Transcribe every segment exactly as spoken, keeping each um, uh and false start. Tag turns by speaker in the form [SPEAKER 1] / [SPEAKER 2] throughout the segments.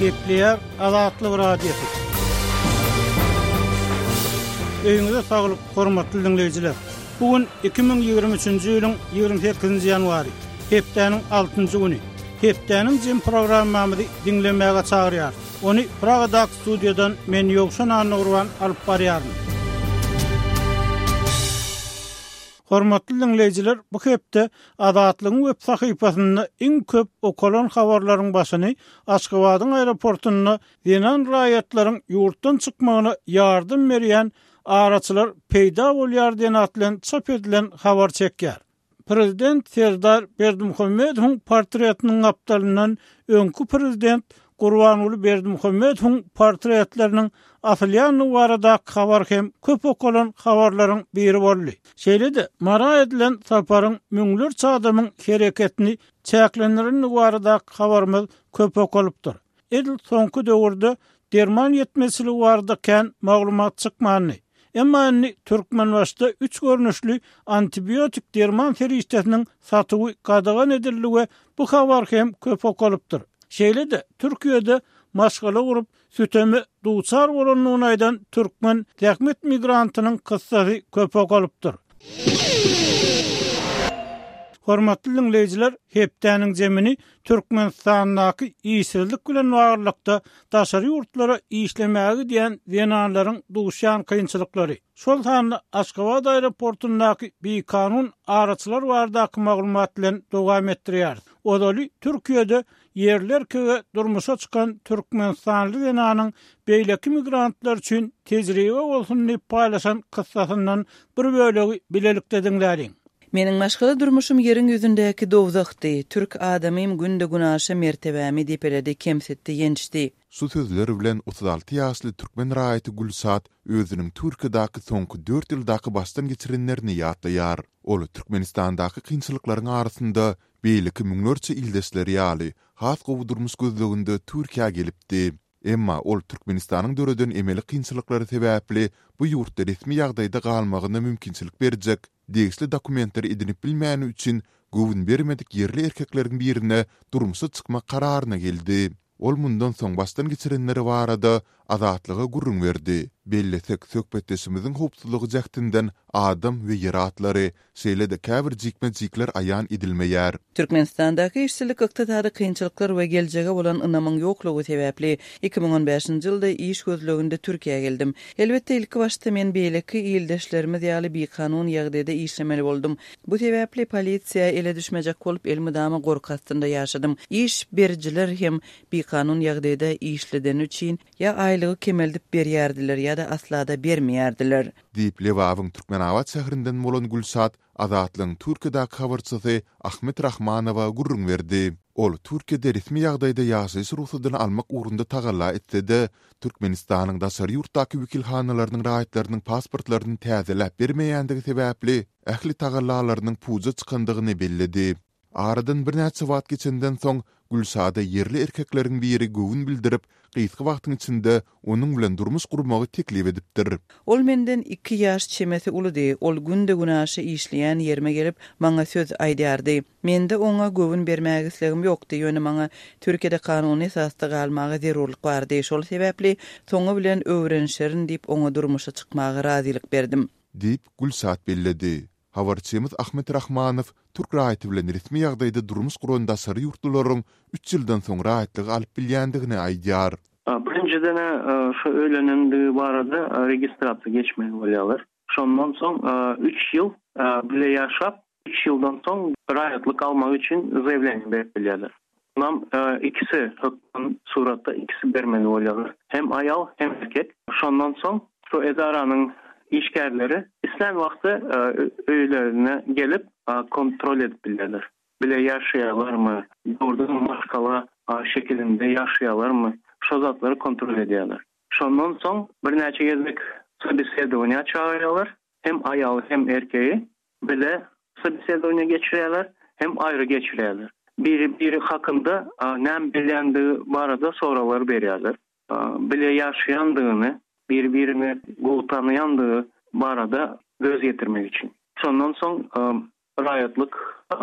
[SPEAKER 1] Gepleýär Azatlyk Radiosy. Öýüňize saglyk, hormatly diňleýjiler. Bu gün iki müň ýigrimi üçünji ýylyň ýigrimi sekizinji ýanwary, hepdäniň altynjy güni. Hepdäniň jem programmamyzy diňlemäge çagyrýarys. Ony Pragadaky studiýadan men Ýowşan Annagurban alyp barýaryn. Hormatly diňleýjiler, bu hepde Azatlygyň web sahypasynda iň köp okalan habarlaryň başyny Aşgabadyň aeroportunda zenan raýatlaryň ýurtdan çykmagyna ýardam berýän araçylar peýda bolýar diýen at bilen çap edilen habar çekýär. Prezident Serdar Berdimuhamedowyň portretiniň gapdalyndan öňki prezident Gurbanguly Berdimuhamedowyň portretleriniň asylýandygy baradaky habar hem köp okalan habarlaryň biri boldy. Şeýle-de Mara edilen saparyň müňlerçe adamyň hereketini çäklendirendigi baradaky habarymyz köp okalypdyr. Edil soňky döwürde derman ýetmezçiligi barada kän maglumat çykmandy. Emma indi Türkmenbaşda üç görnüşli antibiotik derman serişdesiniň satuwy gadagan edildi we bu habar hem köp okalypdyr. Şeýle-de Türkiýede maşgala gurup süteme duçar bolandygyny aýdan türkmen zähmet migrantynyň kyssasy köp okalypdyr. Hormatly diňleýjiler, hepdäniň zemini Türkmenistandaky işsizlik bilen baglylykda daşary ýurtlara işlemäge gidýän zenanlaryň duşýan kynçylyklary, şol sanda Aşgabat aeroportundaky bikanun araçylar baradaky maglumat bilen dowam etdirýäris. Ozaly Türkiýede ýerli erkege durmuşa çykan türkmenistanly zenanyň beýleki migrantlar üçin tejribe bolsun diýip paýlaşan kyssasyndan bir bölegi bilelikde diňläliň.
[SPEAKER 2] Meniň maşgala durmuşum ýeriň ýüzündäki dowzahdy. Türk adamym günde günaşa mertebämi depeledi, kemsitdi, ýençdi.
[SPEAKER 3] Şu sözler bilen otuz alty ýaşly türkmen raýaty Gülşat özüniň Türkiýedäki soňky dört ýyldaky başdan geçirenlerini ýatlaýar. Ol Türkmenistandaky kynçylyklaryň arasynda beýleki müňlerçe ildeşleri ýaly has gowy durmuş gözleginde Türkiýä gelipdi. Emma ol Türkmenistanyň döreden emeli kynçylyklary sebäpli bu ýurtda resmi ýagdaýda galmagyna mümkinçilik berjek degişli dokumentleri edinip bilmäni üçin göwün bermedik ýerli erkekleriň birine durmuşa çykmak kararyna geldi. Ol mundan soň başdan geçirenleri barada Azatlyga gürrüň berdi. Bellesek, söhbetdeşimiziň howpsuzlygy jähtinden adam we ýer atlary, şeýle-de käbir jikme-jikler aýan edilmeýär.
[SPEAKER 2] Türkmenistandaky işsizlik, ykdysady kynçylyklar we geljege bolan ynamyň ýoklugy sebäpli iki müň on bäşinji ýylda iş gözleginde Türkiýä geldim. Elbetde ilki başda men beýleki ildeşlerimiz ýaly bikanun ýagdaýda işlemeli boldum. Bu sebäpli polisiýa ele düşmejek bolup elmydama gorky astynda ýaşadym. Iş berijiler hem bikanun ýagdaýda işledeni üçin ýa aýlygy kemeldip berýärdiler ýa-da asla-da bermeýärdiler.
[SPEAKER 3] Diýip Lebabyň Türkmenabat şäherinden bolan Gülşat Azatlygyň Türkiýedäki habarçysy Ahmet Rahmanowa gürrüň berdi. Ol Türkiýede resmi ýagdaýda ýaşaýyş rugsadyny almak ugrunda tagalla etse-de, Türkmenistanyň daşary ýurtdaky wekilhanalarynyň raýatlarynyň pasportlaryny täzeläp bermeýändigi sebäpli ähli tagallalarynyň puja çykandygyny belledi. Aradan birnäçe wagt geçenden soň Gülşada ýerli erkekleriň biri göwün bildirip, gysga wagtyň içinde onuň bilen durmuş gurmagy teklip edipdir.
[SPEAKER 2] Ol menden iki ýaş çemesi uludy. Ol günde günaşa işleýän ýerime gelip, maňa söz aýdardy. Mende oňa göwün bermäge islegim ýokdy, ýöne maňa Türkiýede kanuny esasda galmaga zerurlyk bardy. Şol sebäpli soňy bilen öwrenişerin diýip oňa durmuşa çykmaga razylyk berdim.
[SPEAKER 3] Diýip Gülşat belledi. Habarçymyz Ahmet Rahmanow türk raýaty bilen resmi ýagdaýda durmuş guran daşary ýurtlularyň üç ýyldan soň raýatlygy alyp bilýändigini aýdýar.
[SPEAKER 4] Birinjiden, e, şu öýlenendigi barada, e, registrasiýa geçmeli bolýarlar. Şondan soň, e, üç ýyl, e, bile ýaşap, üç ýyldan soň raýatlyk almak üçin заявление berip bilýärler. Onam, e, ikisi hökman suratda ikisi bermeli bolýarlar. Hem aýal hem erkek. Şondan soň şu edaranyň işgärleri islän wagty, e, öýlerine gelip, e, kontrol edip bilýärler. Bile ýaşaýarlarmy, doğrudan maşgala, e, şekilinde ýaşaýarlarmy, şo zatlary kontrol edýärler. Şondan soň birnäçe gezek sobesedowaniýa çağırýarlar. Hem aýaly hem erkeği bile sobesedowaniýa geçirýärler, hem aýry geçirýärler. Biri biri hakynda, e, näme bilýändigi barada soraglar berýärler. E, bile ýaşaýandygyny, bir-birini gowy tanıyandygy barada göz ýetirmek üçin. Şondan soň, e, raýatlyk, e,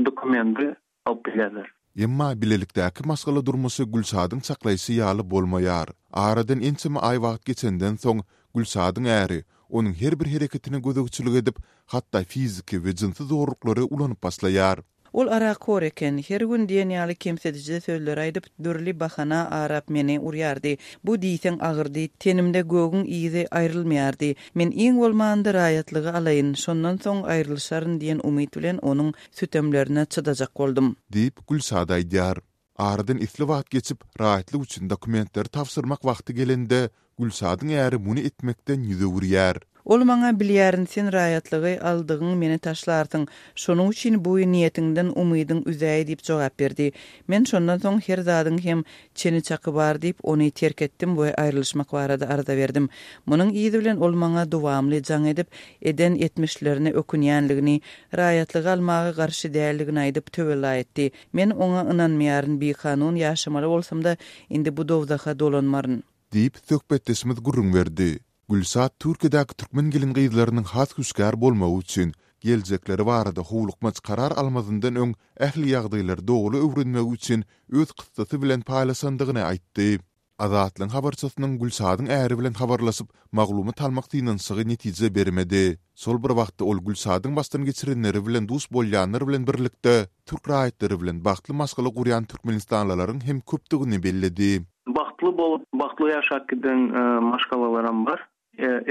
[SPEAKER 4] dokumenti alyp bilýärler.
[SPEAKER 3] Emma bilelikdäki maşgala durmuşy Gülşadyň çaklaýşy ýaly bolmaýar. Aradan ençeme aý wagt geçenden soň, Gülşadyň äri onuň her bir hereketine gözegçilik edip, hatda fiziki we jynsy zorluklary ulanyp başlaýar.
[SPEAKER 2] Ol arakhor eken, her gün diýen ýaly kemsidiji sözleri aýdyp, dürli bahana arap meni urýardy. Bu diýseň agyrdy, tenimde gögüň yzy aýrylmaýardy. Men iň bolmanda raýatlygy alaýyn, şondan soň aýrylyşaryn diýen umyt bilen onuň sütemlerine çydajak boldum.
[SPEAKER 3] Diýip, Gülşat aýdýar. Aradan esli wagt geçip, raýatlyk üçin dokumentleri tabşyrmak wagty gelende, Gülşadyň äri muny etmekden ýüz öwürýär.
[SPEAKER 2] Ol maňa bilýärin sen raýatlygy aldygyň meni taşlarsyň. Şonuň üçin bu niýetiňden umydyň üzäý diýip jogap berdi. Men şondan soň her zadyň hem çeni çaky bar diýip ony terk etdim we aýrylyşmak barada arza berdim. Munuň yzy bilen ol maňa dowamly jaň edip, eden etmişlerine ökünýänligini, raýatlygy almaga garşy däldigini aýdyp töwella etdi. Men oňa ynanmaýaryn, bikanun ýaşamaly bolsam-da indi bu dowzaha dolanmaryn.
[SPEAKER 3] Diýip, söhbetdeşimiz gürrüň berdi. Gülşat Türkiýedäki türkmen gelin gyzlarynyň has hüşgär bolmagy üçin geljekleri barada howlukmaç karar almazyndan öň ähli ýagdaýlary dogry öwrenmegi üçin öz kyssasy bilen paýlaşandygyny aýtdy. Azatlygyň habarçysynyň Gülşadyň äri bilen habarlaşyp, maglumat almak synanyşygy netije bermedi. Şol bir wagtda ol Gülşadyň başdan geçirenleri bilen duş bolýanlar bilen birlikde, türk raýatlary bilen bagtly maşgala gurýan türkmenistanlylaryň hem köpdügini belledi.
[SPEAKER 4] Bagtly bolup, bagtly ýaşap giden maşgalalaram bar,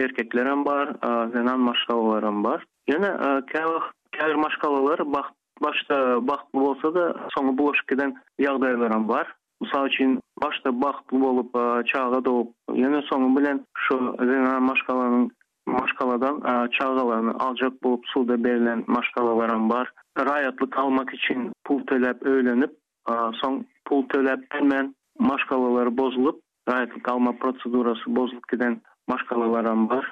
[SPEAKER 4] erkeklerem bar, zenan maşgalalaram bar. Ýöne käwagt käbir maşgalalar bagt başda bagtly bolsa-da, soňy bulaşyp giden ýagdaýlaram bar. Mysal üçin, başda bagtly bolup, çaga dogup, ýöne soňy bilen şu zenan maşgalanyň maşgaladan çagalaryny aljak bolup suda berlen maşgalalaram bar. Raýatlyk almak üçin pul töläp öýlenip, soň pul töläp bilmän maşgalalary bozulyp, raýatlyk alma prosedurasy bozulyp giden maşgalalaram bar.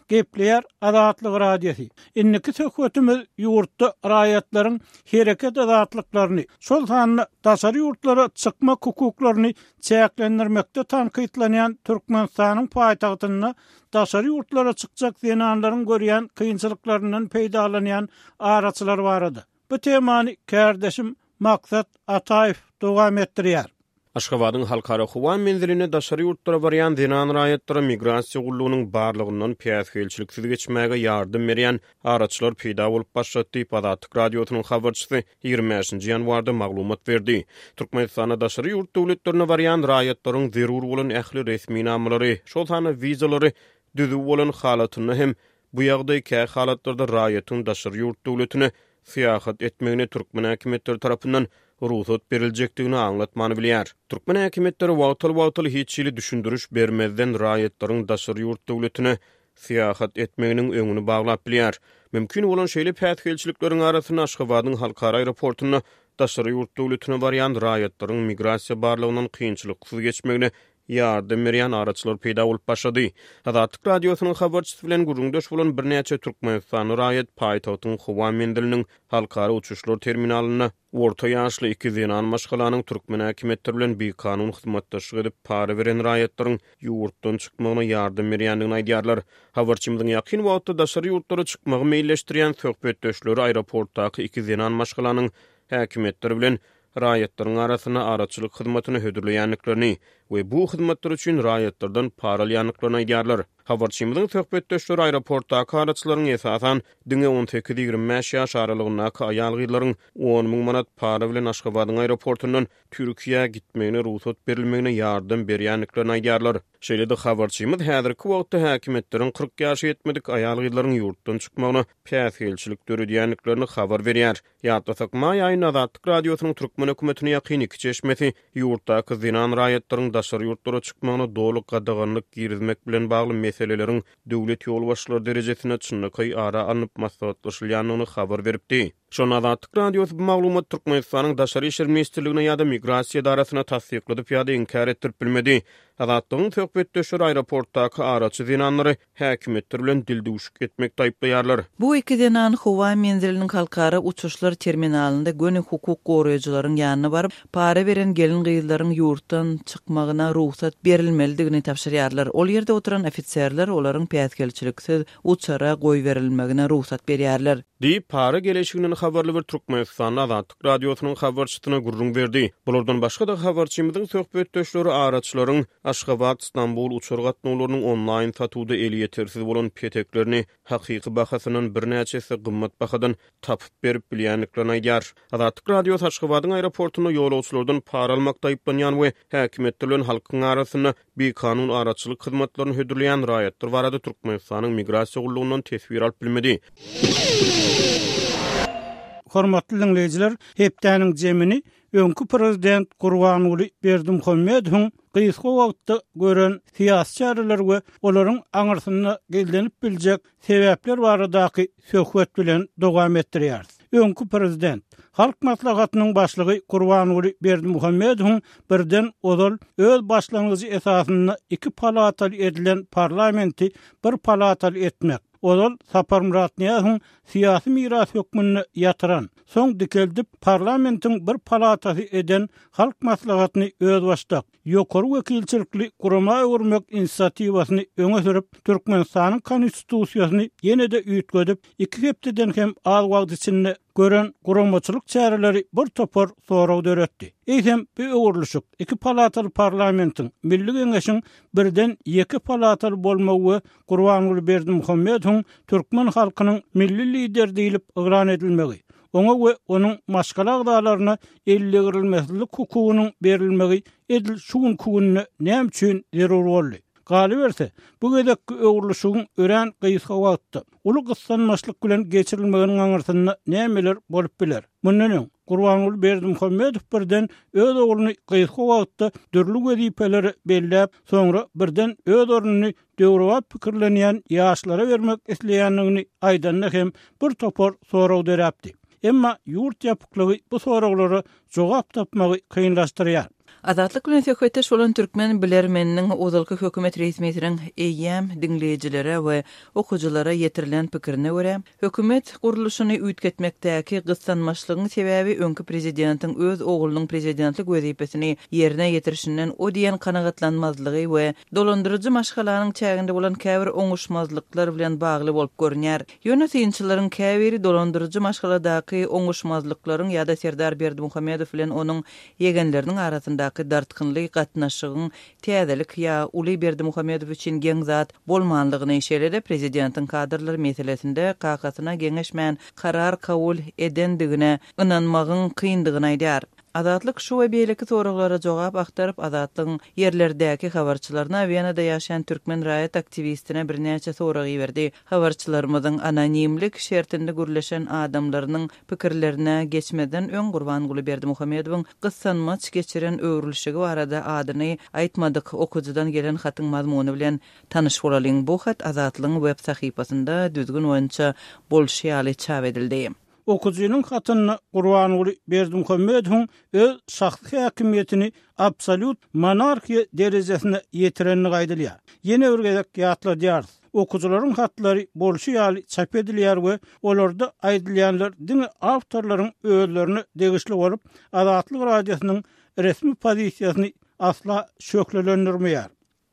[SPEAKER 1] Gepleýär Azatlyk Radiosy. Indiki söhbetimiz ýurtda raýatlaryň hereket azatlyklaryny, şol sanda daşary ýurtlara çykmak hukuklaryny çäklendirmekde tankytlanýan Türkmenistanyň paýtagtynda daşary ýurtlara çykjak zenanlaryň görýän kynçylyklaryndan peýdalanýan araçylar barada. Bu temany kärdeşim Maksat Ataýew dowam etdirýär.
[SPEAKER 5] Aşgabadyň halkara howa menziline daşary ýurtlara barýan zenan raýatlara migrasiýa gullugynyň barlygyndan päsgelçiliksiz geçmäge ýardam berýän araçylar peýda bolup başlady diýip, Azatlyk Radiosynyň habarçysy ýigrimi bäşinji ýanwarda maglumat berdi. Türkmenistanda daşary ýurt döwletlerine barýan raýatlaryň zerur bolan ähli resminamalary, şol sanda wizalary düzüw bolan halatynda hem bu ýagdaý kä halatlarda raýatyň daşary ýurt döwletine syýahat etmegine türkmen häkimiýetleri tarapyndan rugsat beriljekdigini aňlatmany bilýär. Türkmen häkimiýetleri wagtal-wagtal hiç hili düşündiriş bermezden raýatlaryň daşary ýurt döwletine syýahat etmeginiň öňüni baglap bilýär. Mümkin bolan şeýle päsgelçilikleriň arasynda Aşgabadyň halkara aeroportunda daşary ýurt döwletine barýan raýatlaryň migrasiýa barlygyndan kynçylyksyz geçmegine ýardam berýän araçylar peýda bolup başlady. Azatlyk Radiosynyň habarçysy bilen gürrüňdeş bolan birnäçe türkmenistanly raýat paýtagtyň howa menziliniň halkara uçuşlar terminalynda orta ýaşly iki zenan maşgalanyň türkmen häkimiýetleri bilen bikanun hyzmatdaşlyk edip para beren raýatlaryň ýurtdan çykmagyna ýardam berýändigini aýdýarlar. Habarçymyzyň ýakyn wagtda daşary ýurtlara çykmagy meýilleşdirýän söhbetdeşleri aeroportdaky iki zenan maşgalanyň häkimiýetleri bilen raýatlaryň arasynda araçylyk hyzmatyny hödürleýändiklerini we bu hyzmatlar üçin raýatlardan para alýandyklaryny aýdýarlar. Habarçymyzyň söhbetdeşleri aeroportdaky araçylaryň esasan diňe on sekiz ýigrimi bäş ýaş aralygyndaky aýal-gyzlaryň on müň manat para bilen Aşgabadyň aeroportundan Türkiýä gitmegine rugsat berilmegine ýardam berýändiklerini aýdýarlar. Şeýle-de habarçymyz häzirki wagtda häkimiýetleriň kyrk ýaşa ýetmedik aýal-gyzlaryň ýurtdan çykmagyna päsgelçilik döredýändiklerini habar berýär. Ýatlasak, maý aýynda Azatlyk Radiosynyň türkmen hökümetine ýakyn iki çeşmesi ýurtdaky zenan raýatlaryň daşary ýurtlara çykmagyna doly gadaganlyk girizmek bilen bagly meseleleriň döwlet ýolbaşçylary derejesinde çynlakaý ara alnyp maslahatlaşylýandygyny habar beripdi. Şonda Azatlyk Radiosy bu maglumat Türkmenistanyň Daşary işler ministrligine ýa-da migrasiýa edarasyna tassykladyp ýa-da inkär etdirip bilmedi. Azatlygyň söhbetdeşleri aeroportdaky araçy zenanlary häkimiýetler bilen dildüwşük etmekde aýyplaýarlar.
[SPEAKER 2] Bu iki zenan howa menziliniň halkara uçuşlar terminalynda göni hukuk goraýjylaryň ýanyna baryp, para beren gelin gyzlaryň ýurtdan çykmagyna rugsat berilmelidigini tabşyrýarlar. Ol ýerde oturan ofiserler olaryň päsgelçiliksiz uçara goýberilmegine rugsat berýärler.
[SPEAKER 5] Diýip, para geleşiginden habarly bir Türkmenistanly Azatlyk Radiosynyň habarçysyna gürrüň berdi. Bulardan başga-da habarçymyzyň söhbetdeşleri araçylaryň Aşgabat, Stambul uçar gatnawlarynyň onlaýn satuwda elýetersiz bolan peteklerini hakyky bahasyndan birnäçe esse gymmat bahadan tapyp berip bilýändiklerini aýdýar. Azatlyk Radiosy Aşgabadyň aeroportunda ýolagçylardan para almakda aýyplanýan we häkimiýetler bilen halkyň arasynda bikanun araçylyk hyzmatlaryny hödürleýän raýatlar barada Türkmenistanyň Migrasiýa gullugyndan teswir alyp bilmedi.
[SPEAKER 1] Hormatly diňleýjiler, hepdäniň jemini öňki prezident Gurbanguly Berdimuhamedowyň gysga wagtda gören syýasy çäreleri we olaryň aňyrsynda gizlenip biljek sebäpler baradaky söhbet bilen dowam etdirýäris. Öňki prezident, Halk Maslahatynyň başlygy Gurbanguly Berdimuhamedowyň birden ozal öz başlangyjy esasynda iki palataly edilen parlamenti bir palataly etmek, ozal Saparmyrat Nyýazowyň syýasy miras hökmünde ýatyran, soň dikeldip parlamentiň bir palatasy eden Halk Maslahatyny özbaşdak, ýokary wekilçilikli gurama öwürmek inisiatiwasyny öňe sürüp, Türkmenistanyň Konstitusiýasyny ýene-de üýtgedip, iki hepdeden hem az wagt içinde gören guramaçylyk çäreleri bir topar sorag döretdi. Eýsem, bu öwrülişik iki palataly parlamentiň, Milli Geňeşiň birden ýeke palataly bolmagy we Gurbanguly Berdimuhamedowyň türkmen halkynyň milli Lideri diýlip yglan edilmegi, oňa we onuň maşgala agzalaryna eldegrilmesizlik hukugynyň berilmegi edil şu günki günde näme üçin zerur boldy? Galyberse, bu gezekki öwrülişigiň örän gysga wagtda, uly gyssanmaçlyk bilen geçirilmeginiň aňyrsynda nämeler bolup biler? Mundan öň, Gurbanguly Berdimuhamedow birden öz ogluny gysga wagtda dürli wezipelere belläp, soňra birden öz ornuny döwrebap pikirlenýän ýaşlara bermek isleýändigini aýdanda hem bir topar sorag döräpdi. Emma ýurt ýapyklygy bu soraglara jogap tapmagy kynlaşdyrýar.
[SPEAKER 2] Azatlyk bilen söhbetdeş bolan türkmen bilermeniniň ozalky hökümet resmisiniň eýýäm diňleýjilere we okyjylara ýetirilen pikirine görä, hökümet gurluşyny üýtgetmekdäki gyssanmaçlygyň sebäbi öňki prezidentiň öz oglunyň prezidentlik wezipesini ýerine ýetirişinden o diýen kanagatlanmazlygy we dolandyryjy maşgalanyň çäginde bolan käbir oňuşmazlyklar bilen bagly bolup görünýär. Ýöne synçylaryň käbiri dolandyryjy maşgaladaky oňuşmazlyklaryň ýa-da Serdar Berdimuhamedow bilen onuň ýegenleriniň arasyndaky dartgynly gatnaşygyň täzelik ýa uly Berdimuhamedow üçin geň zat bolmanlygyny, şeýle-de prezidentiň kadrlar meselesinde kakasyna geňeşmän karar kabul edendigine ynanmagyň kyndygyny aýdýar. Azatlyk şu we beýleki soraglara jogap agtaryp, Azatlygyň ýerlerdäki habarçylaryna Wenada ýaşaýan türkmen raýat aktiwistine birnäçe sorag iberdi. Habarçylarymyzyň anonimlik şertinde gürleşen adamlarynyň pikirlerine geçmezden öň Gurbanguly Berdimuhamedowyň gyssanmaç geçiren öwrülişigi barada adyny aýtmadyk okyjydan gelen hatyň mazmuny bilen tanyş bolalyň. Bu hat Azatlygyň web sahypasynda düzgün boýunça bolşy ýaly çap edildi.
[SPEAKER 1] Okyjynyň hatynda Gurbanguly Berdimuhamedowyň öz şahsy häkimiýetini absolýut monarhiýa derejesine ýetirenligi aýdylýar. Ýene bir gezek ýatladýarys, okyjylaryň hatlary bolşy ýaly çap edilýär we olarda aýdylýanlar diňe awtorlaryň özlerine degişli bolup, Azatlyk Radiosynyň resmi pozisiýasyny asla şöhlelendirmeýär.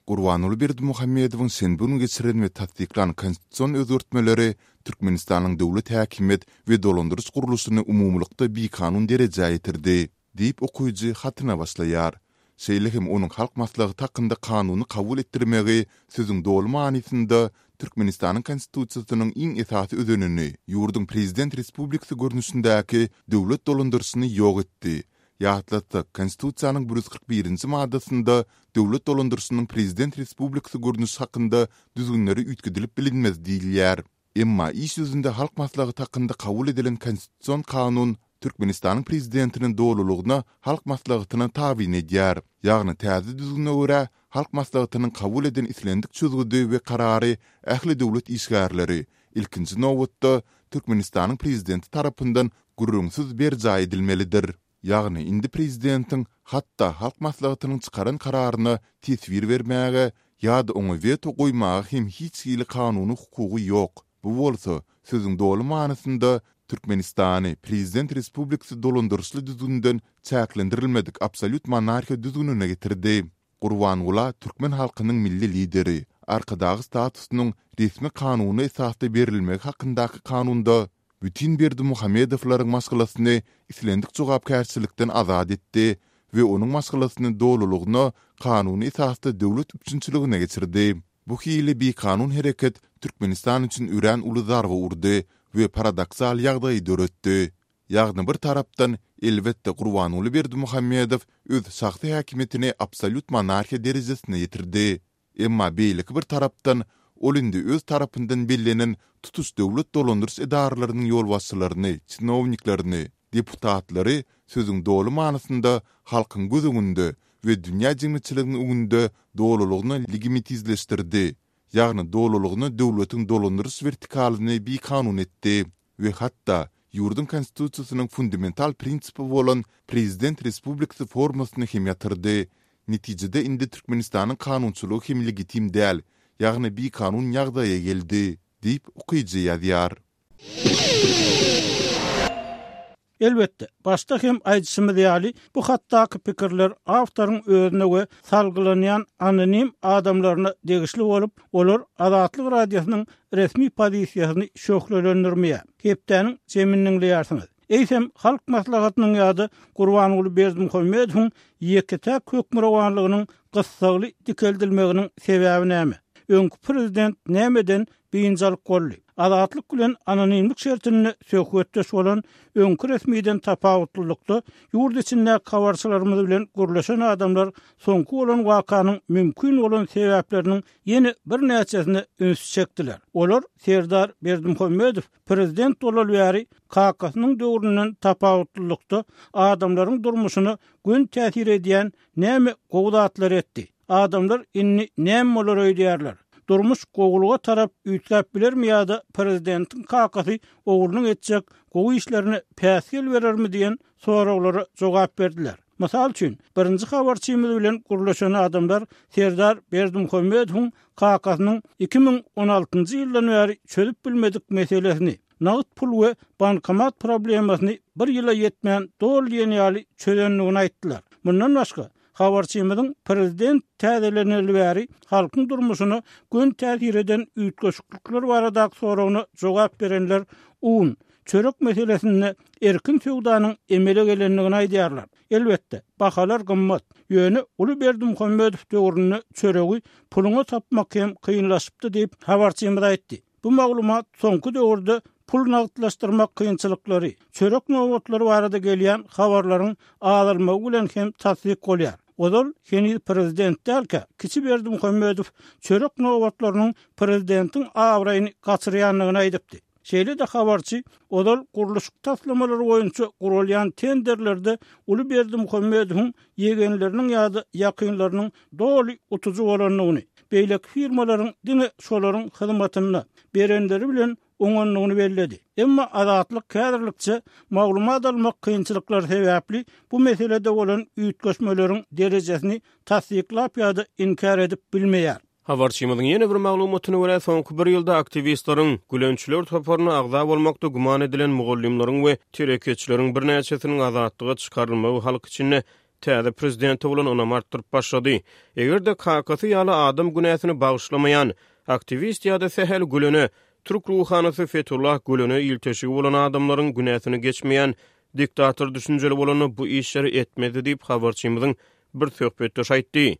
[SPEAKER 3] Gurbanguly Berdimuhamedowyň şenbe güni geçiren we tassyklan konstitusion özgertmeleri Türkmenistanyň döwlet häkimiýet we dolandyryş gurluşyny umumylykda bikanun derejä ýetirdi, diýip okyjy hatyna başlaýar. Şeýle hem onuň Halk Maslahaty hakynda kanuny kabul etdirmegi sözüň doly manysynda Türkmenistanyň Konstitusiýasynyň iň esasy özenini, ýurduň prezident respublikasy görnüşindäki döwlet dolandyryşyny ýok etdi. Ýatlatsak, Konstitusiýanyň bir ýüz kyrk birinji maddasynda döwlet dolandyryşynyň prezident respublikasy görnüşi hakynda düzgünleri üýtgedilip bilinmez diýilýär. Emma iş ýüzünde Halk Maslahaty hakynda kabul edilen Konstitusion kanun Türkmenistanyň Prezidentini dolulygyna Halk Maslahatyna tabyn edýär. Ýagny täze düzgüne görä, Halk Maslahatynyň kabul eden islendik çözgüdi we karary ähli döwlet işgärleri, ilkinji nobatda, Türkmenistanyň Prezidenti tarapyndan gürrüňsiz berjaý edilmelidir. Ýagny indi prezidentiň hatda Halk Maslahatynyň çykaran kararyna teswir bermäge ýa-da oňa weto goýmaga hem hiç hili kanuny hukugy ýok. Bu bolsa, sözüň doly manysynda Türkmenistany prezident respublikasy dolandyryşly düzgünden çäklendirilmedik absolýut monarhiýa düzgünine getirdi. Gurbangula türkmen halkynyň Milli Lideri, Arkadagy statusynyň resmi kanuny esasda berilmegi hakyndaky kanunda bütin Berdimuhamedowlaryň maşgalasyny islendik jogapkärçilikden azat etdi we onuň maşgalasyny dolulygyna kanuny esasda döwlet üpjünçiligine geçirdi. Bu hili bikanun hereket Türkmenistan üçin örän uly zarba urdy we paradoksal ýagdaýy döretdi. Ýagny bir tarapdan, elbetde Gurbanguly Berdimuhamedow öz şahsy häkimiýetini absolýut monarhiýa derejesine ýetirdi. Emma beýleki bir tarapdan, ol indi öz tarapyndan bellenen tutuş döwlet dolandyryş edaralarynyň ýolbaşçylaryny, çinowniklerini, deputatlary sözüň doly manysynda halkyň göz öňünde we dünýä jemgyýetçiliginiň öňünde dolulygyna legimitizleşdirdi, ýagny dolulygyna döwletiň dolandyryş wertikalyny bikanun etdi. We hatda, ýurduň Konstitusiýasynyň fundamental prinsipi bolan prezident respublikasy formasyny hem ýatyrdy. Netijede indi Türkmenistanyň kanunçylygy hem legitim däl, ýagny bikanun ýagdaýa geldi, diýip, okyjy ýazýar.
[SPEAKER 1] Elbetde, başda hem aýdyşymyz ýaly, bu hatdaky pikirler awtoryň özüne we salgylanýan anonim adamlaryna degişli bolup, olar Azatlyk Radiosynyň resmi pozisiýasyny şöhlelendirmeýär. Hepdäniň jemini diňleýärsiňiz. Eýsem, Halk Maslahatynyň ýa-da Gurbanguly Berdimuhamedowyň ýeke-täk hökmürowanlygynyň gyssagly dikeldilmeginiň sebäbi näme? Öňki prezident nämeden biynjalyk boldy? Azatlyk bilen anonimlik şertinde söhbetdeş bolan öňki resmiden tapawutlylykda, ýurt içindäki habarçylarymyz bilen gürleşen adamlar soňky bolan wakanyň mümkin bolan sebäpleriniň ýene birnäçesine üns çekdiler. Olar Serdar Berdimuhamedow prezident bolaly bäri kakasynyň döwründen tapawutlylykda adamlaryň durmuşyna göni täsir edýän näme gowy zatlary etdi? Adamlar indi näme bolar öýdýärler? Durmuş gowulyga tarap üýtgäp bilermi ýa-da prezidentiň kakasy oglunyň etjek gowy işlerine päsgel berermi diýen soraglara jogap berdiler. Mysal üçin, birinji habarçymyz bilen gürleşen adamlar Serdar Berdimuhamedowyň kakasynyň iki müň on altynjy ýyldan bäri çözüp bilmedik meselesini, nagt pul we bankomat problemasyny bir ýyla ýetmän doly diýen ýaly çözendigini aýtdylar. Mundan başga, habarçymyzyň prezident täzeleneli bäri halkyň durmuşyna göni täsir eden üýtgeşiklikler baradaky soragyna jogap berenler un, çörek meselesinde erkin söwdanyň emele gelendigini aýdýarlar. Elbetde, bahalar gymmat. Ýöne uly Berdimuhamedow döwründe çöregi puluňa tapmak hem kynlaşypdy diýip, habarçymyz aýtdy. Bu maglumat soňky döwürde pul nagtlaşdyrmak kynçylyklary, çörek nobatlary barada gelýän habarlaryň azalmagy bilen hem tassyk bolýar. Ozal heniz prezident dälkä, kiçi Berdimuhamedow çörek nobatlarynyň prezidentiň abraýyny gaçyrýandygyny aýdypdy. Şeýle-de habarçy ozal gurluşyk taslamalary boýunça guralýan tenderlerde uly Berdimuhamedowyň ýegenleriniň ýa-da ýakynlarynyň doly utujy bolandygyny, beýleki firmalaryň diňe şolaryň hyzmatynda berenleri bilen oňandygyny belledi. Emma Azatlyk häzirlikçe maglumat almak kynçylyklary sebäpli bu meselede bolan üýtgeşmeleriň derejesini tassyklap ýa-da inkär edip bilmeýär.
[SPEAKER 5] Habarçymyzyň ýene bir maglumatyna görä, soňky bir ýylda aktiwistleriň, gülençiler toparyna agza bolmakda güman edilen mugallymlaryň we telekeçileriň birnäçesiniň azatlyga çykarylmagy halk içinde täze prezidente bolan ynamy artdyryp başlady. Eger-de kakasy ýaly adam günäsini bagyşlamaýan aktiwist ýa-da sähel gülene, türk ruhanysy Fethullah Gülene ilteşigi bolan adamlaryň günäsini geçmeýän diktator düşünjeli bolanda bu işleri etmezdi diýip habarçymyzyň bir söhbetdeşi aýtdy.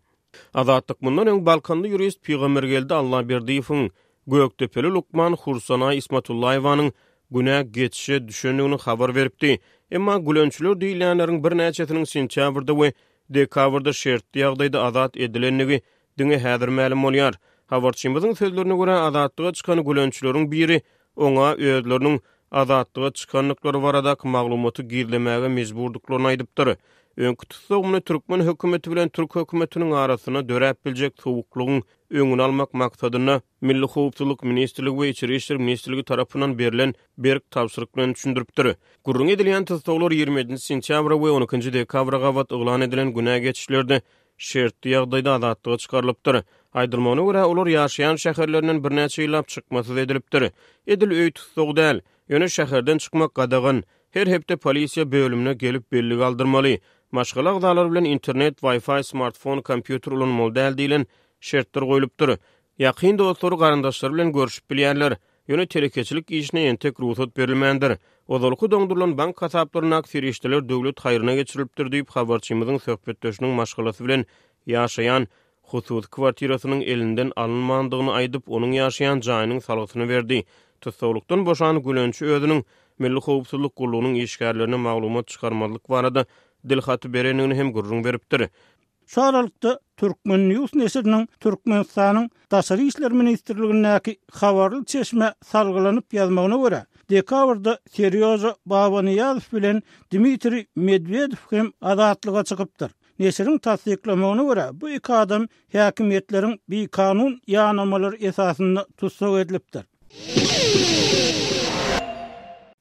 [SPEAKER 5] Azatlyk mundan öň Balkanly ýurist Pygambergeldi Allaberdiýewiň, Gökdepeli lukman Hursanaý Ismatullaýewanyň günä geçişe düşendigini habar beripdi. Emma gülençiler diýilýänleriň birnäçesiniň sentýabrda we dekabrda şertli ýagdaýda azat edilendigi diňe häzir mälim bolýar. Habarçymyzyň sözlerine görä, azatlyga çykan gülençileriň biri oňa özleriniň azatlyga çykandyklary baradaky maglumaty gizlemäge mejburdyklaryny aýdypdyr. Öňki tussagymyny türkmen hökümeti bilen türk hökümetiniň arasynda döräp biljek sowuklygyň öňüni almak maksadynda Milli Howpsuzlyk Ministrligi we Içeri Işler Ministrligi tarapyndan berlen berk tabşyryk bilen düşündiripdir. Gürrüň edilýän tussaglar ýigrimi ýedinji sentýabra we on ikinji dekabra gabat yglan edilen günä geçişlerde şertli ýagdaýda azatlyga çykarylypdyr. Aýdylmagyna görä, olar ýaşaýan şäherlerinden birnäçe ýyllap çykmasyz edilipdir. Edil öý tutsagy däl, ýöne şäherden çykmak gadagan. Her hepde polisiýa bölümine gelip bellik aldyrmaly. Maşgala agzalary bilen internet, Wi-Fi, smartfon, kompýuter ulanmaly däl diýlen şertler goýlupdyr. Ýakyn dostlary, garyndaşlary bilen görüşip bilýärler. Ýöne telekeçilik işine entek rugsat berilmändir. Ozalky doňdurylan bank hasaplaryndaky serişdeler döwlet haýryna geçirilipdir diýip, habarçymyzyň söhbetdeşiniň maşgalasy bilen ýaşaýan hususy kwartirasynyň elinden alynmandygyny aýdyp, onuň ýaşaýan jaýynyň salgysyny berdi. Tussaglykdan boşan Gülençi özüniň Milli howpsuzlyk gullugynyň işgärlerine maglumat çykarmazlyk barada dilhaty berendigini hem gürrüň beripdir.
[SPEAKER 1] Şu aralykda Turkmen News neşiriniň Türkmenistanyň Daşary işler ministrligindäki habarly çeşmä salgylanyp ýazmagyna görä, dekabrda Serýoža Babanyýazow bilen Dmitriý Medwedew hem azatlyga çykypdyr. Neşiriň tassyklamagyna görä, bu iki adam häkimiýetleriň bikanun ýanamalary esasynda tussag edilipdir.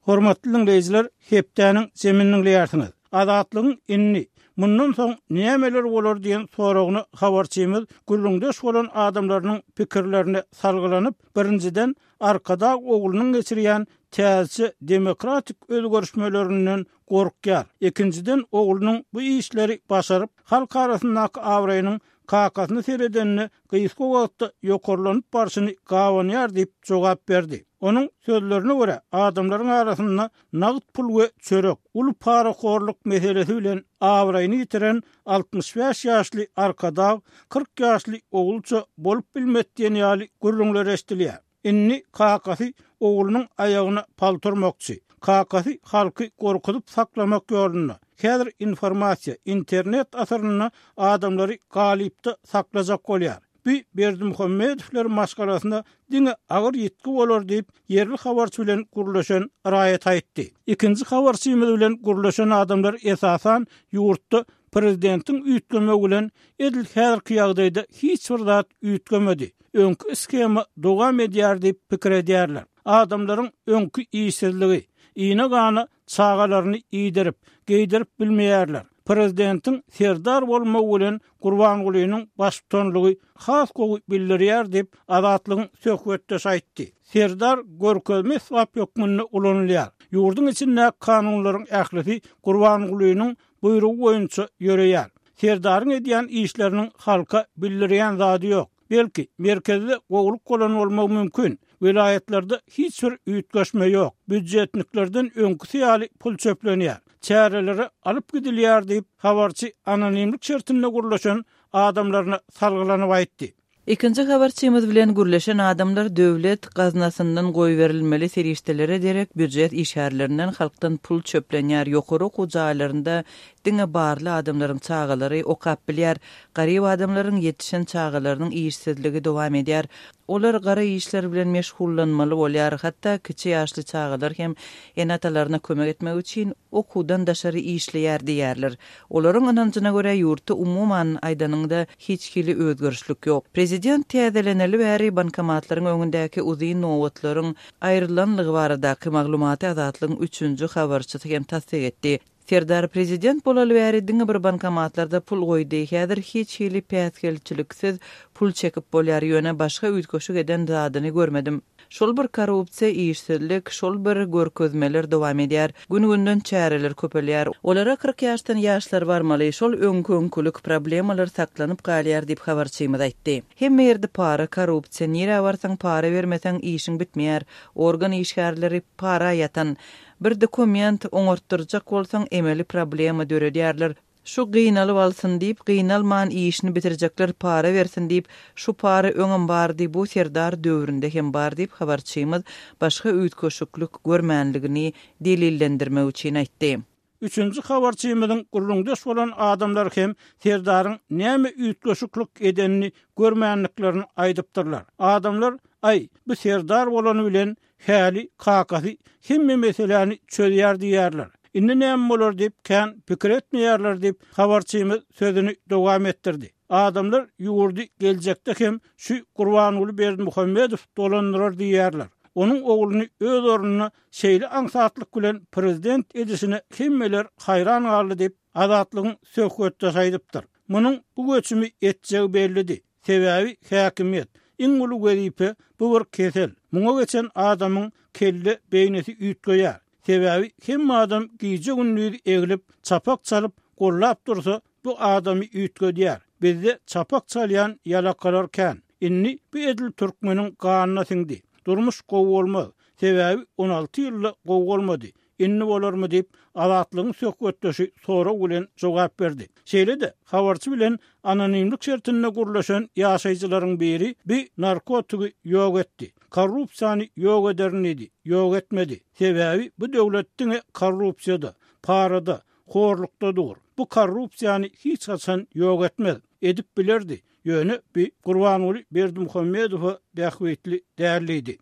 [SPEAKER 1] Hormatly dinleýjiler, hepdäniň jemini diňleýärsiňiz. Azatlygyň indi mundan soň nämeler bolar diýen soragyna habarçymyz gürrüňdeş bolan adamlarynyň pikirlerine salgylanyp, birinjiden Arkadag oglunyň geçirýän täze demokratik özgerişmelerinden gorkýar. Ikinjiden oglunyň bu işleri başaryp, halk arasyndaky abraýynyň kakasyny seredenine gysga wagtda ýokarlanyp barşyny gawanýar diýip jogap berdi. Onuň sözlerine görä, adamlaryň arasynda nagt pul we çörek, uly parahorluk meselesi bilen abraýyny ýitiren altmyş bäş ýaşly Arkadag kyrk ýaşly ogulça bolup bilmedi diýen ýaly gürrüňler eşidilýär. Indi kakasy oglunyň aýagyna palturmakçy. Kakasy halky gorkuzyp saklamak ýolunda. Häzir informasiýa, internet asyrynda adamlary galypda saklajak bolýar. Bu Berdimuhamedowlar maşgalasyna diňe agyr ýitgi bolar diýip, ýerli habarçy bilen gürleşen raýat aýtdy. Ikinji habarçymyz bilen gürleşen adamlar esasan ýurtda prezidentiň üýtgemegi bilen edil häzirki ýagdaýda hiç bir zat üýtgemedi. Öňki schema dowam edýär diýip pikir edýärler. Adamlaryň öňki işsizligi, iýne gana çagalaryny iýdirip, geýdirip bilmeýärler. Prezidentiň serdar bolmagy bilen Gurbangulynyň baştutanlygy has gowy bildirýär diýip, Azatlygyň söhbetdeşi aýtdy. Serdar görkezme esbap hökmünde ulanylýar. Ýurduň içindäki kanunlaryň ählisi Gurbangulynyň buýrugy boýunça ýöreýär. Serdaryň edýän işleriniň halka bildirýän zady ýok. Belki merkezde gowulyk bolan bolmagy mümkin. Welaýatlarda hiç bir üýtgeşme ýok. Býudjetniklerden öňküsi ýaly pul çöplenýär. Çärelere alyp gidilýär diýip, habarçy anonimlik şertinde gürleşen adamlaryna salgylanyp aýtdy.
[SPEAKER 2] Ikinji habarçymyz bilen gürleşen adamlar döwlet gaznasyndan goýberilmeli serişdelere derek býujet işgärlerinden halkdan pul çöplenýär. Ýokary okuw jaýlarynda diňe barly adamlaryň çagalary okap bilýär. Garyp adamlaryň ýetişen çagalarynyň işsizligi dowam edýär. Olar gara işler bilen meşgullanmaly bolýar. Hatda kiçi ýaşly çagalar hem ene-atalaryna kömek etmek üçin okuwdan daşary işleýär diýerler. Olaryň ynanjyna görä ýurtda umuman aýdanyňda hiç hili özgerişlik ýok. Prezident täzeleneli bäri bankomatlaryň öňündäki uzyn nobatlaryň aýrylanlygy baradaky maglumaty Azatlygyň üçünji habarçysy hem tassyk etdi. Serdar prezident bolaly bäri diňe bir bankomatlarda pul goýdy. Häzir hiç hili päsgelçiliksiz pul çekip bolýar, ýöne başga üýtgeşik eden zadyny görmedim. Şol bir korrupsiýa, işsizlik, şol bir görkezmeler dowam edýär. Gün-günden çäreler köpelýär. Olara kyrk ýaşdan ýaşlar barmaly, şol öňkü-öňkülük problemalar saklanyp galýar diýip habarçymyz aýtdy. Hemme ýerde para, korrupsiýa, nirä barsaň para bermeseň işiň bitmeýär. Organ işgärleri para ýatan. Bir dokument oňartdyrjak bolsaň emeli problema döredýärler. Şu gynalyp alsyn diýip, gynalman işini bitirjekler para bersin diýip, şu para öňem bardy, bu serdar döwründe hem bar diýip habarçymyz başga üýtgeşiklik görmänligini delillendirmek üçin aýtdy.
[SPEAKER 1] Üçünji habarçymyzyň gürrüňdeş bolan adamlar hem serdaryň näme üýtgeşiklik edenini görmänliklerini aýdypdyrlar. Adamlar, aý, bu serdar bolany bilen häli kakasy hemme meseläni çözýär diýerler. Indi näme bolar diýip kän pikir etmeýärler diýip habarçymyz sözüni dowam etdirdi. Adamlar ýurdy geljekde hem şu Gurbanguly Berdimuhamedow dolandyrar diýerler. Onuň ogluny öz ornuna şeýle aňsatlyk bilen prezident edişine hemmeler haýran galdy diýip Azatlygyň söhbetdeşi aýdypdyr. Munuň bu göçümi etjegi bellidi. Sebäbi häkimiýet iň uly wezipe bu bir kesel. Muňa geçen adamyň kelle beýnisi üýtgeýär. Sebäbi hemme adam gije gündüz eglip, çapak çalyp, gollap dursa bu adamy üýtgedýär. Bizde çapak çalýan ýalakalar kän. Indi bu edil türkmeniň ganyna siňdi. Durmuş gowy bolmaz. Sebäbi on alty ýylda gowy bolmady. Indi bolarmy diýip, Azatlygyň söhbetdeşi sorag bilen jogap berdi. Şeýle-de, habarçy bilen anonimlik şertinde gürleşen ýaşaýjylaryň biri bi narkotigi ýok etdi. Korrupsiýany ýok ederin diýdi, ýok etmedi. Sebäbi bu döwlet diňe korrupsiýada, parada, horlukda dur. Bu korrupsiýany hiç haçan ýok etmez. Edip bilerdi. Ýöne bi Gurbanguly Berdimuhamedowa bähbitli däl diýdi.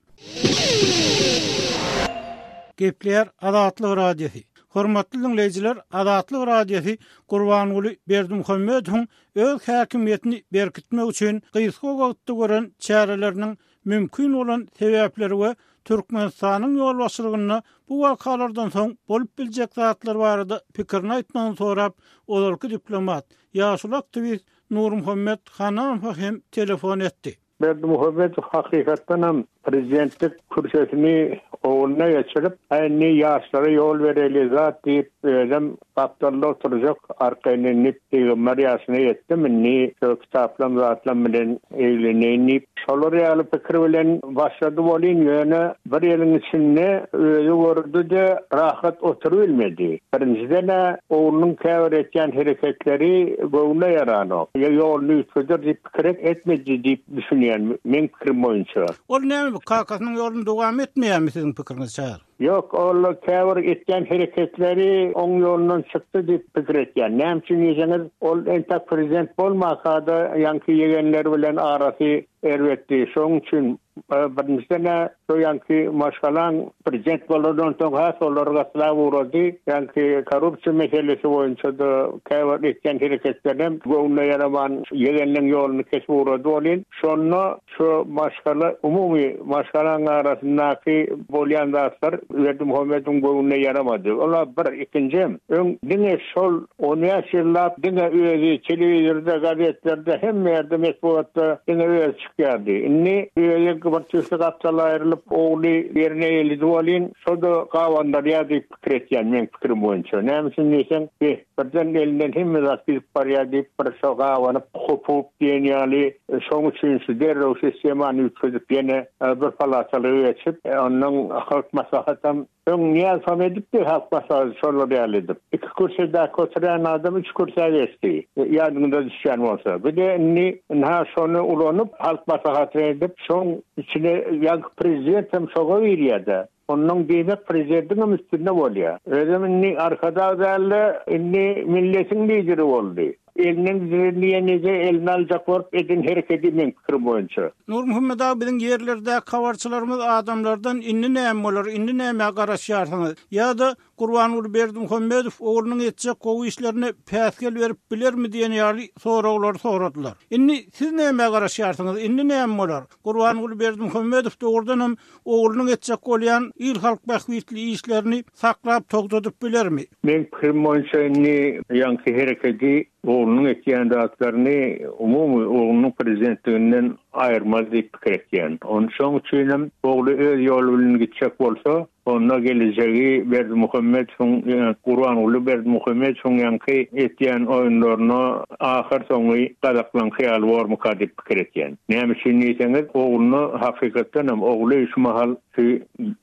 [SPEAKER 1] Gepleýär Azatlyk Radiosy. Hormatly diňleýjiler, Azatlyk Radiosy Gurbanguly Berdimuhamedowyň öz häkimiýetini berkitmek üçin gysga wagtda gören çäreleriniň mümkin bolan sebäpleri we Türkmenistanyň ýolbaşçylygynda bu wakalardan soň bolup biljek zatlar barada pikirini aýtmagyny sorap, ozalky diplomat, ýaşuly aktiwist Nurmuhammet Hanamowa hem telefon etdi.
[SPEAKER 6] Berdimuhamedow hakykatdanam prezidentlik kürsüsini ogluna geçirip, indi ýaşlara ýol bereli zat diýip, özem gapdalda oturjak, arkaýyn indi pygamber ýaşyna ýetdim, indi şu kitaplam zatlam bilen egleneýin diýip, şolar ýaly pikir bilen başlady bolyn, ýöne bir ýylyň içinde özi gördi-de rahat oturybilmedi. Birinjiden-ä oglunyň käbir etýän hereketleri göwnüne ýaranok. Ýoluny üýtgeder diýip pikir etmedi diýip düşünýän meň pikirim boýunça.
[SPEAKER 1] Ol näme, kakasynyň ýoluny dowam etmeýärmi siziň pikiriňizçe?
[SPEAKER 6] Ýok, ol käbir etýän hereketleri oň ýolundan çykdy diýip pikir etýän. Näme üçin diýseňiz, ol entek prezident bolmasa-da ýaňky ýegenler bilen arasy erbetdi. Şonuň üçin, e, birinjiden-ä şo ýaňky maşgalaň prezident bolandan soň has olar gatlap ugrady. Ýaňky korrupsiýa meselesi boýunça-da käbir etýän hereketlerem göwnüne ýaraman ýegenleň ýoluny kesip ugrady bolyn. Şonda şu maşgala, umumy maşgalaň arasyndaky bolýan zatlar Berdimuhamedowyň göwnüne ýaramady. Ola bir, ikinji, öň diňe şol on bäş ýyllap diňe özi telewizorda, gazetlerde, hemme ýerde metbugatda diňe özi çykýardy. Indi özi bir tüýsli gapdal aýrylyp, ogly ýerine elidi bolyn, şo-da gabandarýar diýip pikir etýän meň pikirim boýunça. Näme üçin diýseň, be, birden elinden hemme zat gidip barýar diýip bir şo gabanyp, hopup diýen ýaly, şoň üçin şu derrew sistemany üýtgedip ýene, e, bir palatalyga geçip, e, ondan halk maslahatam öň Nyýazow edipdi, halk maslahaty şolar ýaly edip. Iki kürsüdäki oturan adam üç kürsä geçdi. E, ýadyňda düşýän bolsa. Bir de indi ynha şony ulanyp halk maslahatyny edip, şoň içine ýaňky prezident hem şoňa girýär-de. Ondan diýmek prezidentiň hem üstünde bolýar. Özem indi Arkadag dälde, indi milletiň lideri boldy. Elinden diýenije elini aljak bolup eden hereketi meň pikirim boýunça.
[SPEAKER 1] Nurmuhammet aga, biziň ýerlerde habarçylarymyz adamlardan indi näme bolar, indi näme garaşýarsyňyz? Ýa-da Gurbanguly Berdimuhamedow oglunyň etjek gowy işlerine päsgel berip bilermi diýen ýaly soraglar soradylar. Indi siz näme garaşýarsyňyz? Indi näme bolar? Gurbanguly Berdimuhamedow dogrudan hem oglunyň etjek bolýan il halk bähbitli işlerini saklap togtadyp bilermi?
[SPEAKER 6] Meň pikirim boýunça indi ýaňky hereketi oglunyň etýän zatlaryny umumy oglunyň prezidentliginden aýyrmaz diýip pikir etýän. Onun şoň üçin hem ogly öz ýoly bilen gitjek bolsa, onda gelejegi Berdimuhamedowyň, e, Gurbanguly Berdimuhamedowyň ýaňky etýän oýunlaryna ahyr soňy gazaklan hyýaly bormyka diýip pikir etýän. Näme üçin diýseňiz, ogluna hakykatdan hem ogly şu mahal şu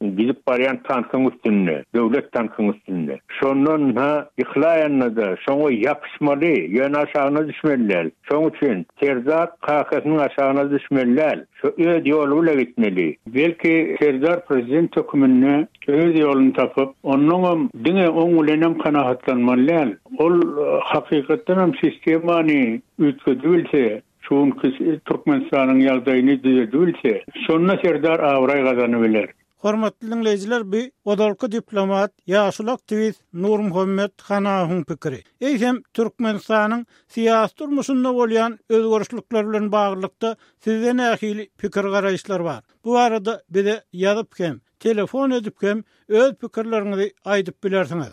[SPEAKER 6] gidip barýan tankyň üstünde, döwlet tankyň üstünde. Şondan ha ýykylaýanda-da şoňa ýapyşmaly, ýöne aşagyna düşmeli däl. Şoň üçin Serdar kakasynyň aşagyna düşmeli däl. Şu öz ýoly bilen gitmeli.
[SPEAKER 7] Belki Serdar prezident höküminde öz ýoluny tapyp, onnoňam diňe oň bilenem kanagatlanmaly däl. Ol, e, hakykatdan hem sistemany üýtgedip bilse, şu günki Türkmenistanyň ýagdaýyny düzedip bilse, şonda Serdar abraý gazanyp biler.
[SPEAKER 1] Hormatly diňleýjiler, bu ozalky diplomat, ýaşuly aktiwist Nurmuhammet Hanamowyň pikiri. Eýsem Türkmenistanyň syýasy durmuşynda bolýan özgerişlikler bilen baglylykda sizde nähili pikir garaýyşlar bar? Bu barada bize ýazyp hem, telefon edip hem öz pikirleriňizi aýdyp bilersiňiz.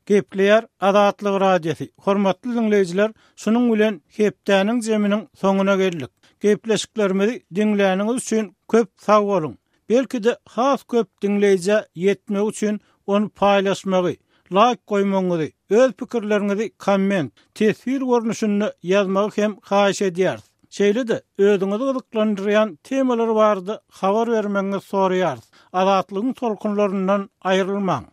[SPEAKER 1] Gepleýär Azatlyk Radiosy. Hormatly diňleýjiler, şunuň bilen hepdäniň zeminiň soňuna geldik. Gepleşiklerimizi diňläniňiz üçin köp sag boluň. Belki-de has köp diňleýjä ýetmek üçin ony paýlaşmagy, like goýmagyňyzy, öz pikirleriňizi komment, teswir görnüşinde ýazmagy hem haýyş edýäris. Şeýle-de özüňizi gyzyklandyrýan temalar barada habar bermegiňizi soraýarys. Azatlygyň tolkunlaryndan aýrylmaň.